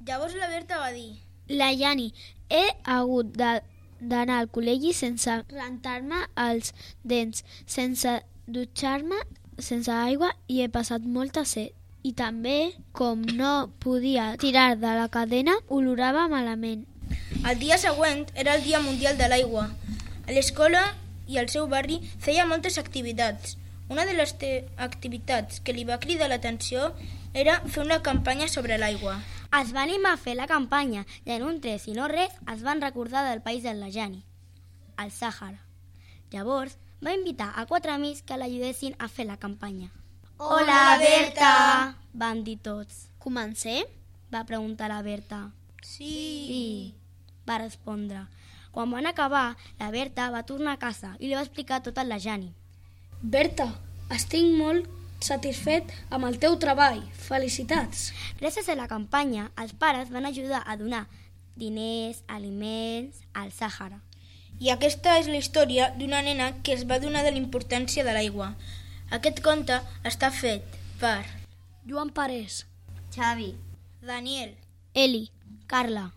Llavors la Berta va dir: La Yani, he hagut d'anar al col·legi sense rentar-me els dents, sense dutxar-me, sense aigua i he passat molta set. I també, com no podia tirar de la cadena, olorava malament. El dia següent era el Dia Mundial de l'Aigua. A l'escola i al seu barri feia moltes activitats. Una de les activitats que li va cridar l'atenció era fer una campanya sobre l'aigua. Es va animar a fer la campanya i en un tres i no res es van recordar del país de la Yani, el Sàhara. Llavors va invitar a 4 amics que l'ajudessin a fer la campanya. Hola, Berta! Van dir tots. Comencem? Va preguntar la Berta. Sí. Va respondre. Quan van acabar, la Berta va tornar a casa i li va explicar tot a la Yani. Berta, estic molt satisfet amb el teu treball. Felicitats! Gràcies a la campanya, els pares van ajudar a donar diners, aliments al Sàhara. I aquesta és la història d'una nena que es va donar de la importància de l'aigua. Aquest conte està fet per Joan Parés, Xavi, Daniel, Eli, Carla,